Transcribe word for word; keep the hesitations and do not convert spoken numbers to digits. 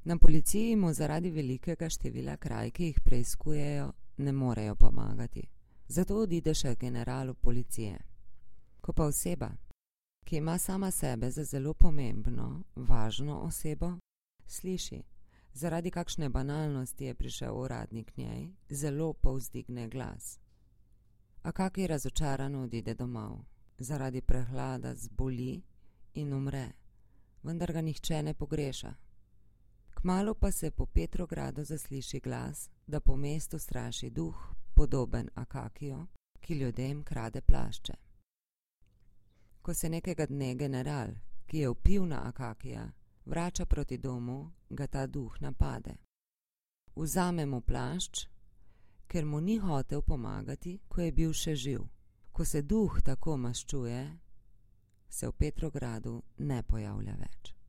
Na policiji mu zaradi velikega števila kraj, ki jih preiskujejo, ne morejo pomagati. Zato odide še generalu policije. Ko pa oseba, ki ima sama sebe za zelo pomembno, važno osebo, sliši, zaradi kakšne banalnosti je prišel uradnik k njej, zelo povzdigne glas. Akaki razočarano odide domov. Zaradi prehlada zboli in umre, vendar ga nihče ne pogreša. Kmalu pa se po Petrogradu zasliši glas, da po mestu straši duh, podoben Akakiju, ki ljudem krade plašče. Ko se nekega dne general, ki je vpil na Akakija, vrača proti domu, ga ta duh napade. Vzame mu plašč, ker mu ni hotel pomagati, ko je bil še živ. Ko se duh tako maščuje, se v Petrogradu ne pojavlja več.